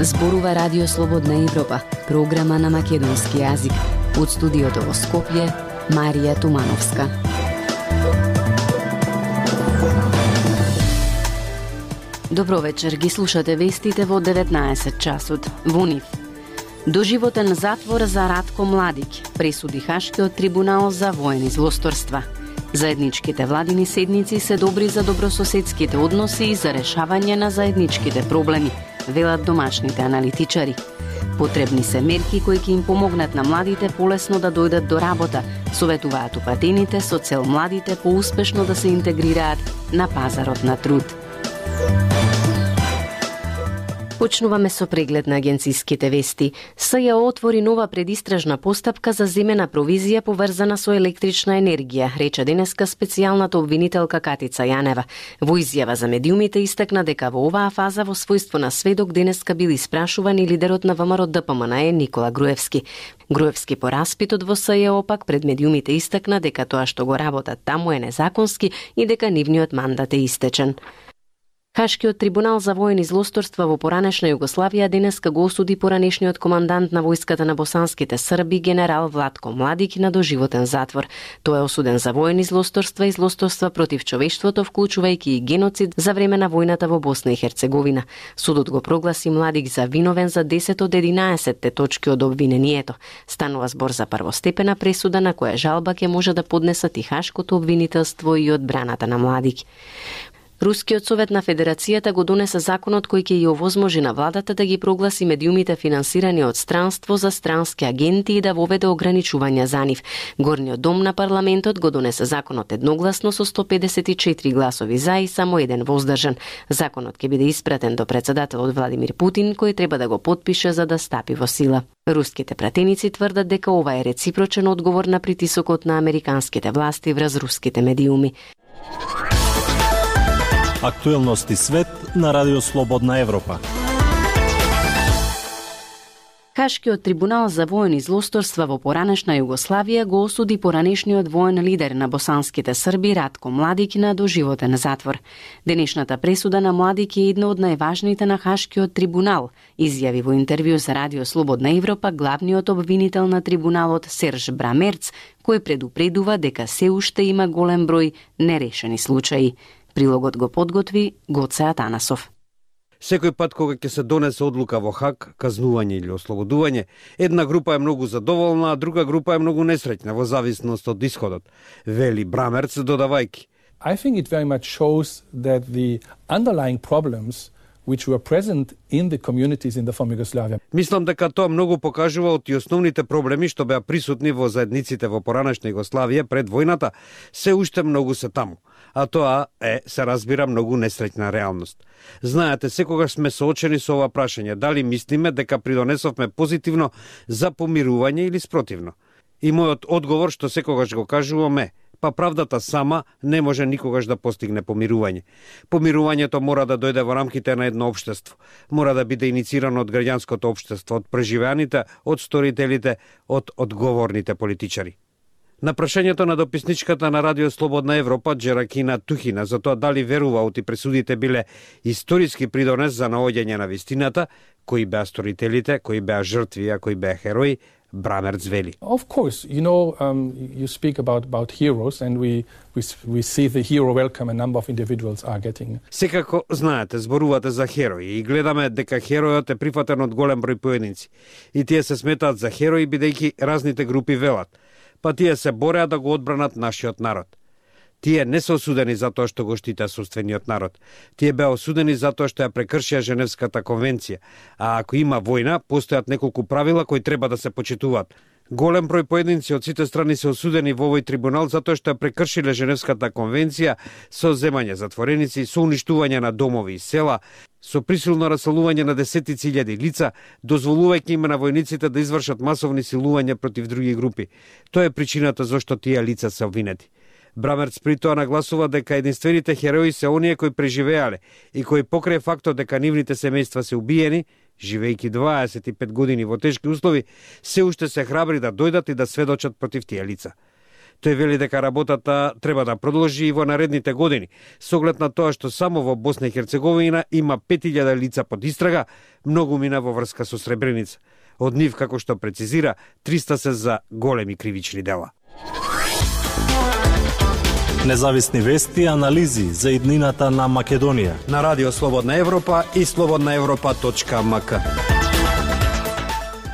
Зборува Радио Слободна Европа, програма на македонски јазик. Од студиото во Скопје, Марија Тумановска. Добро вечер, ги слушате вестите во 19 часот. Во нив. Доживотен затвор за Ратко Младик, пресуди Хашкиот трибунал за воени злосторства. Заедничките владини седници се добри за добрососедските односи и за решавање на заедничките проблеми, велат домашните аналитичари. Потребни се мерки кои ќе им помогнат на младите полесно да дојдат до работа, советуваат упатените со цел младите поуспешно да се интегрираат на пазарот на труд. Почнуваме со преглед на агенциските вести. СЈО отвори нова предистражна постапка за земена провизија поврзана со електрична енергија, рече денеска специјалната обвинителка Катица Јанева. Во изјава за медиумите истакна дека во оваа фаза во својство на сведок денеска бил испрашуван и лидерот на ВМРО ДПМНЕ Никола Груевски. Груевски по распитот во СЈО пак пред медиумите истакна дека тоа што го работат таму е незаконски и дека нивниот мандат е истечен. Хашкиот трибунал за воени злосторства во поранешна Југославија денеска го осуди поранешниот командант на војската на босанските срби генерал Владко Младик на доживотен затвор. Тој е осуден за воени злосторства и злосторства против човештвото, вклучувајќи и геноцид за време на војната во Босна и Херцеговина. Судот го прогласи Младик за виновен за 10 од 11 точки од обвинението. Станува збор за првостепена пресуда на која жалба ќе може да поднесат и Хашкото обвинителство и одбраната на Младик. Рускиот совет на Федерацијата го донесе законот кој ќе ја овозможи на владата да ги прогласи медиумите финансирани од странство за странски агенти и да воведе ограничувања за нив. Горниот дом на парламентот го донесе законот едногласно со 154 гласови за и само еден воздржан. Законот ќе биде испратен до председателот Владимир Путин, кој треба да го потпише за да стапи во сила. Руските пратеници тврдат дека ова е реципрочен одговор на притисокот на американските власти врз руските медиуми. Актуелности свет на Радио Слободна Европа. Хашкиот трибунал за воени злосторства во поранешна Југославија го осуди поранешниот воен лидер на босанските срби Ратко Младик на доживотен затвор. Денешната пресуда на Младик е една од најважните на Хашкиот трибунал, изјави во интервју за Радио Слободна Европа главниот обвинител на трибуналот Серж Брамерц, кој предупредува дека се уште има голем број нерешени случаи. Прилогот го подготви Гоце Атанасов. Секој пат кога ќе се донесе одлука во Хаг, казнување или ослободување, една група е многу задоволна, а друга група е многу несреќна во зависност од исходот, вели Брамерц додавајќи. I think it very much shows that the underlying problems which were present in the communities in the former Yugoslavia. Мислам дека тоа многу покажува од и основните проблеми што беа присутни во заедниците во поранешна Југославија пред војната, се уште многу се таму. А тоа е, се разбира, многу несреќна реалност. Знаете, секогаш сме соочени со ова прашање, дали мислиме дека придонесовме позитивно за помирување или спротивно. И мојот одговор, што секогаш го кажувам е, па правдата сама не може никогаш да постигне помирување. Помирувањето мора да дојде во рамките на едно општество. Мора да биде иницирано од граѓанското општество, од преживеаните, од сторителите, од одговорните политичари. На прашањето на дописничката на Радио Слободна Европа, Джеракина Тухина, за тоа дали верува оти пресудите биле историски придонес за наоѓање на вистината, кои беа сторителите, кои беа жртви, а кои беа херои, Брамерц вели. Of course, you speak about heroes and we see the hero welcome a number of individuals are getting. Секако знаете, зборувате за херои и гледаме дека херојот е прифатен од голем број поединци. И тие се сметаат за херои бидејќи разните групи велат. Па тие се бореа да го одбранат нашиот народ. Тие не се осудени за тоа што го штитеа собствениот народ. Тие беа осудени за тоа што ја прекршија Женевската конвенција. А ако има војна, постојат неколку правила кои треба да се почитуваат. Голем број поединци од сите страни се осудени во овој трибунал затоа што ја прекршиле Женевската конвенција со земање затвореници, со уништување на домови и села, со присилно раселување на десетици илјади лица, дозволувајќи им на војниците да извршат масовни силувања против други групи. Тоа е причината зашто тие лица се обвинети. Брамерц при тоа нагласува дека единствените херои се оние кои преживеале и кои покрај фактот дека нивните семејства се убиени, живејќи 25 години во тешки услови, се уште се храбри да дојдат и да сведочат против тие лица. Тој вели дека работата треба да продолжи и во наредните години, со оглед на тоа што само во Босна и Херцеговина има 5000 лица под истрага, многу мина во врска со Сребреница. Од нив, како што прецизира, 300 се за големи кривични дела. Независни вести и анализи за иднината на Македонија. На Радио Слободна Европа и slobodnaevropa.mk.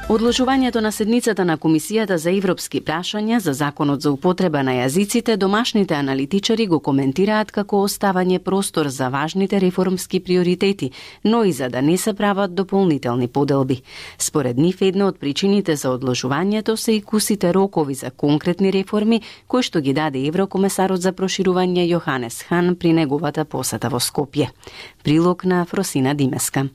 Одложувањето на седницата на Комисијата за европски прашања за законот за употреба на јазиците, домашните аналитичари го коментираат како оставање простор за важните реформски приоритети, но и за да не се прават дополнителни поделби. Според нив, една од причините за одложувањето се и кусите рокови за конкретни реформи, кои што ги даде еврокомесарот за проширување Јоханес Хан при неговата посета во Скопје. Прилог на Фросина Димеска.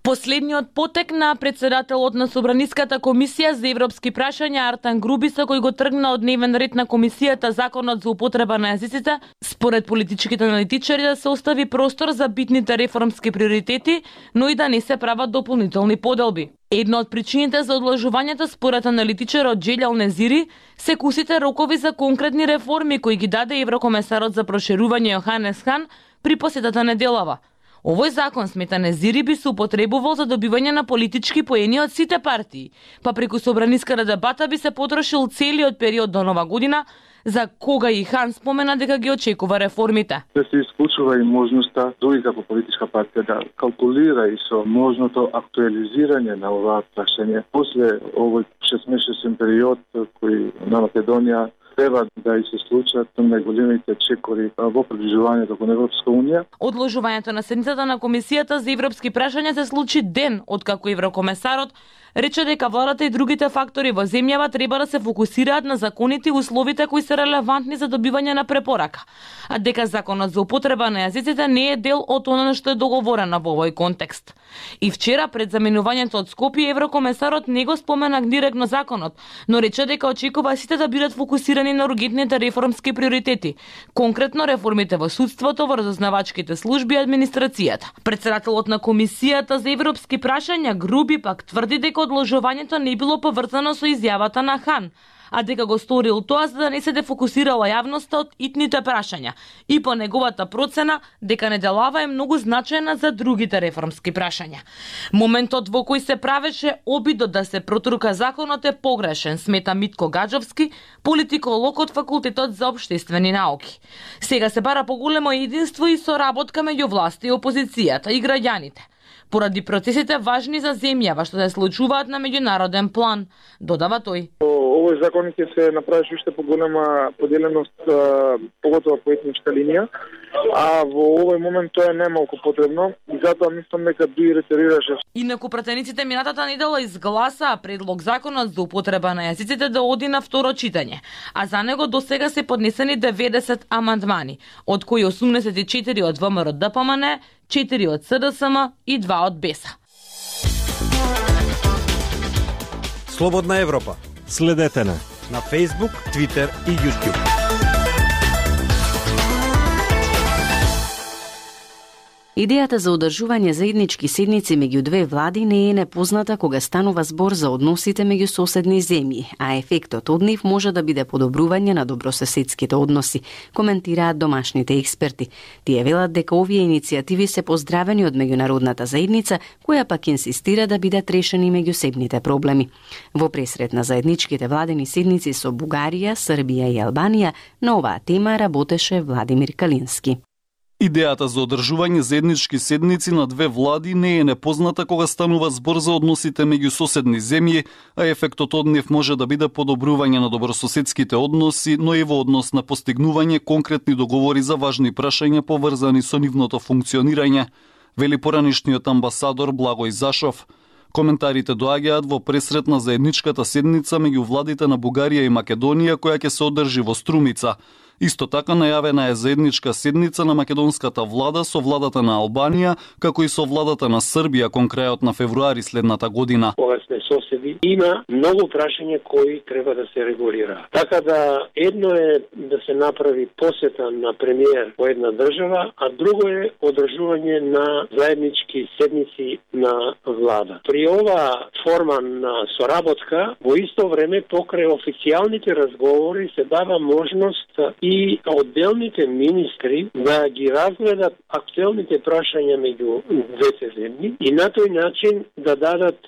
Последниот потек на председателот на Собраниската комисија за европски прашања Артан Грубиса, кој го тргна од дневен ред на комисијата законот за употреба на јазиците, според политичките аналитичари да се остави простор за битните реформски приоритети, но и да не се прават дополнителни поделби. Една од причините за одложувањето според аналитичарот Джелјал Незири се кусите рокови за конкретни реформи кои ги даде еврокомесарот за проширување Јоханес Хан при посетата неделава. Овој закон, смета Незири, би се употребувал за добивање на политички поени од сите партии, па преку собраниската дебата би се потрошил целиот период до Нова година, за кога и Хан спомена дека ги очекува реформите. Да се исклучува и можноста дури како политичка партија да калкулира и со можното актуализирање на оваа прашање после овој 6-месечен период кој на Македонија треба да и се случат најголемите чекори во приближувањето кон Европска унија. Одложувањето на седницата на Комисијата за европски прашања се случи ден откако еврокомесарот рече дека владата и другите фактори во земјава треба да се фокусираат на законите и условите кои се релевантни за добивање на препорака, а дека законот за употреба на јазиците не е дел од она што е договорено во овој контекст. И вчера пред заминувањето од Скопје еврокомесарот не го спомена директно законот, но рече дека очекува сите да бидат фокусирани на ургентните реформски приоритети, конкретно реформите во судството, во разузнавачките служби и администрацијата. Председателот на Комисијата за европски прашања Груби пак тврди дека одложувањето не било поврзано со изјавата на Хан, а дека го сторил тоа за да не се дефокусирала јавноста од итните прашања и по неговата процена дека неделава е многу значајна за другите реформски прашања. Моментот во кој се правеше обидот да се протрука законот е погрешен, смета Митко Гаджовски, политиколог од Факултетот за општествени науки. Сега се бара поголемо единство и соработка меѓу власта и опозицијата и граѓаните, поради процесите важни за земјава што се случуваат на меѓународен план, додава тој. Овој закон ќе се направи уште поголема поделеност, поготово по етничка линија, а во овој момент тоа е немалку потребно и затоа мислам дека би ретерираше. Инаку пратениците минатата недела изгласаа предлог законот за употреба на јазиците да оди на второ читање, а за него досега се поднесени 90 амандмани, од кои 84 од ВМРО ДПМН, 4 од СДСМ и 2 од БЕСА. Слободна Европа. Следете на Facebook, Twitter и YouTube. Идејата за одржување заеднички седници меѓу две влади не е непозната кога станува збор за односите меѓу соседни земји, а ефектот од нив може да биде подобрување на добрососедските односи, коментираат домашните експерти. Тие велат дека овие иницијативи се поздравени од меѓународната заедница, која пак инсистира да бидат решени меѓусебните проблеми. Во пресрет на заедничките владени седници со Бугарија, Србија и Албанија, на оваа тема работеше Владимир Калински. Идејата за одржување заеднички седници на две влади не е непозната кога станува збор за односите меѓу соседни земји, а ефектот од нив може да биде подобрување на добрососедските односи, но и во однос на постигнување конкретни договори за важни прашања поврзани со нивното функционирање, вели поранишниот амбасадор Благој Зашов. Коментарите доаѓаат во пресрет на заедничката седница меѓу владите на Бугарија и Македонија која ќе се одржи во Струмица. Исто така најавена е заедничка седница на македонската влада со владата на Албанија, како и со владата на Србија кон крајот на февруари следната година. Кога сме соседи, има многу прашања кои треба да се регулира. Така да едно е да се направи посета на премиер во една држава, а друго е одржување на заеднички седници на влада. При ова форма на соработка, во исто време покрај официјалните разговори се дава можност и одделните министри да ги разгледат актуелните прашања меѓу двете земји и на тој начин да дадат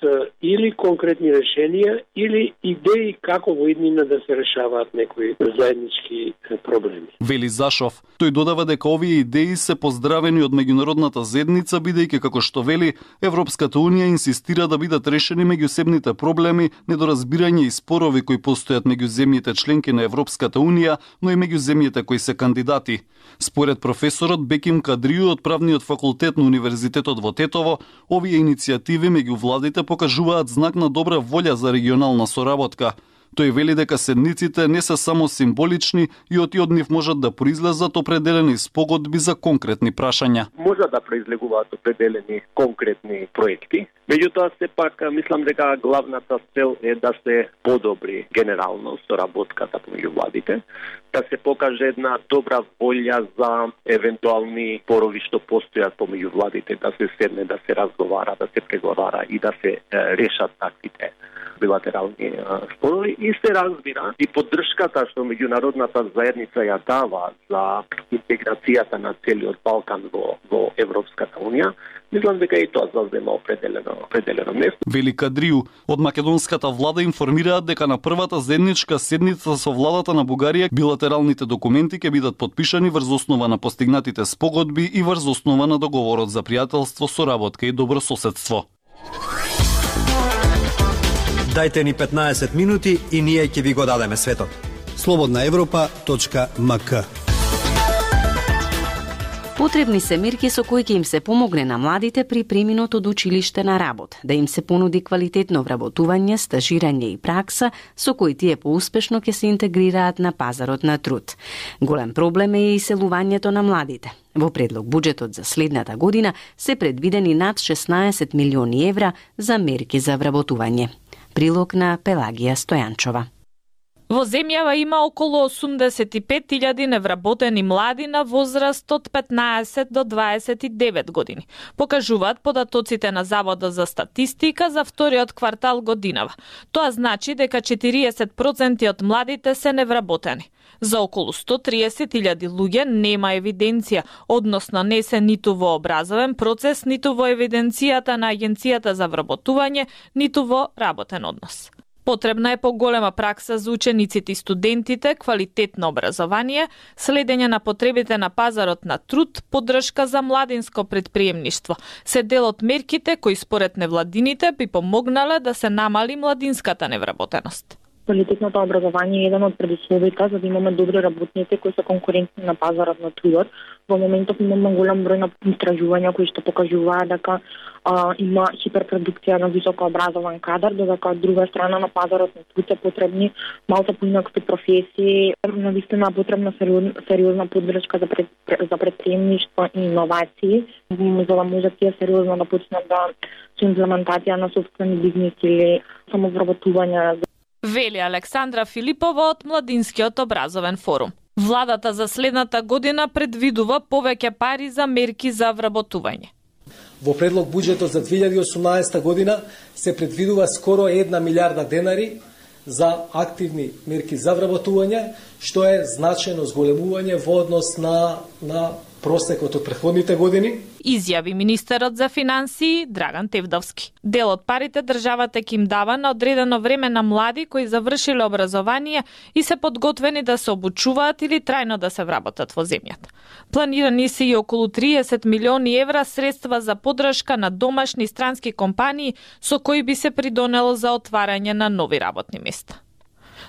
или конкретни решенија или идеи како во иднина да се решаваат некои заеднички проблеми. Вели Зашов. Тој додава дека овие идеи се поздравени од меѓународната заедница, бидејќи како што вели, Европската унија инсистира да бидат решени меѓусебните проблеми, недоразбирање и спорови кои постојат меѓу земјите членки на Европската унија, но и меѓу земјите кои се кандидати. Според професорот Беким Кадрију од правниот факултет на Универзитетот во Тетово, овие иницијативи меѓу владите покажуваат знак на добра волја за регионална соработка. Тој вели дека седниците не се само символични и од нив можат да произлезат определени спогодби за конкретни прашања. Можат да произлегуваат определени конкретни проекти, меѓутоа сепак мислам дека главната цел е да се подобри генерално соработката помеѓу владите, да се покаже една добра волја за евентуални спорови што постојат помеѓу владите, да се седне, да се разговара, да се преговара и да се решат таквите билатерални спорови и се разбира и поддршката што меѓународната заедница ја дава за интеграцијата на целиот Балкан во Европската унија. Мислам дека и тоа зазема определено место. Вели Кадрију, од македонската влада информираат дека на првата заедничка седница со владата на Бугарија билатералните документи ќе бидат потпишани врз основа на постигнатите спогодби и врз основа на договорот за пријателство, соработка и добрососедство. Дајте ни 15 минути и ние ќе ви го дадеме светот. slobodnaevropa.mk. Потребни се мерки со кои ќе им се помогне на младите при преминот од училиште на работ, да им се понуди квалитетно вработување, стажирање и пракса со кои тие поуспешно ќе се интегрираат на пазарот на труд. Голем проблем е и иселувањето на младите. Во предлог буџетот за следната година се предвидени над 16 милиони евра за мерки за вработување. Прилог на Пелагија Стојанчова. Во земјава има околу 85.000 невработени млади на возраст од 15 до 29 години. Покажуваат податоците на Заводот за статистика за вториот квартал годинава. Тоа значи дека 40% од младите се невработени. За околу 130.000 луѓе нема евиденција, односно не се ниту во образовен процес, ниту во евиденцијата на Агенцијата за вработување, ниту во работен однос. Потребна е поголема пракса за учениците и студентите, квалитетно образование, следење на потребите на пазарот на труд, поддршка за младинско предприемништво. Се дел од мерките кои според невладините би помогнале да се намали младинската невработеност. Квалитетното образование е еден од предусловите за да имаме добри работници кои се конкурентни на пазарот на трудот. Во моментов имаме голем број на истражувања кои што покажуваат дека има хиперпродукција на високо образован кадар, додека од друга страна на пазарот на труд се потребни малку поинакви професии. Навистина потребна сериозна поддршка за предприемништво и иновации, за да може тие сериозно да почнат со имплементација на сопствени бизнеси или самовработување. Вели Александра Филипова од Младинскиот образовен форум. Владата за следната година предвидува повеќе пари за мерки за вработување. Во предлог буџетот за 2018 година се предвидува скоро 1 милиарда денари за активни мерки за вработување, што е значајно зголемување во однос на просекот од претходните години. Изјави министерот за финансии Драган Тевдовски. Дел од парите државата ќе им дава на одредено време на млади кои завршиле образование и се подготвени да се обучуваат или трајно да се вработат во земјата. Планирани се и околу 30 милиони евра средства за поддршка на домашни и странски компании со кои би се придонело за отварање на нови работни места.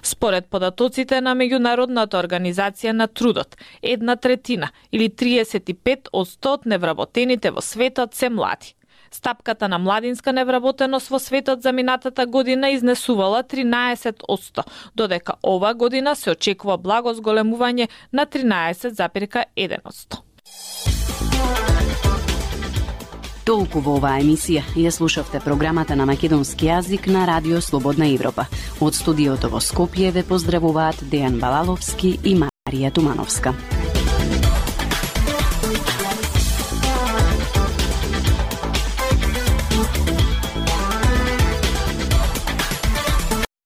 Според податоците на Меѓународната организација на трудот, 1/3 или 35% од невработените во светот се млади. Стапката на младинска невработеност во светот за минатата година изнесувала 13%, додека ова година се очекува благо зголемување на 13,1%. Толку во оваа емисија. Ја слушавте програмата на македонски јазик на Радио Слободна Европа. Од студиото во Скопје ве поздравуваат Дејан Балаловски и Марија Тумановска.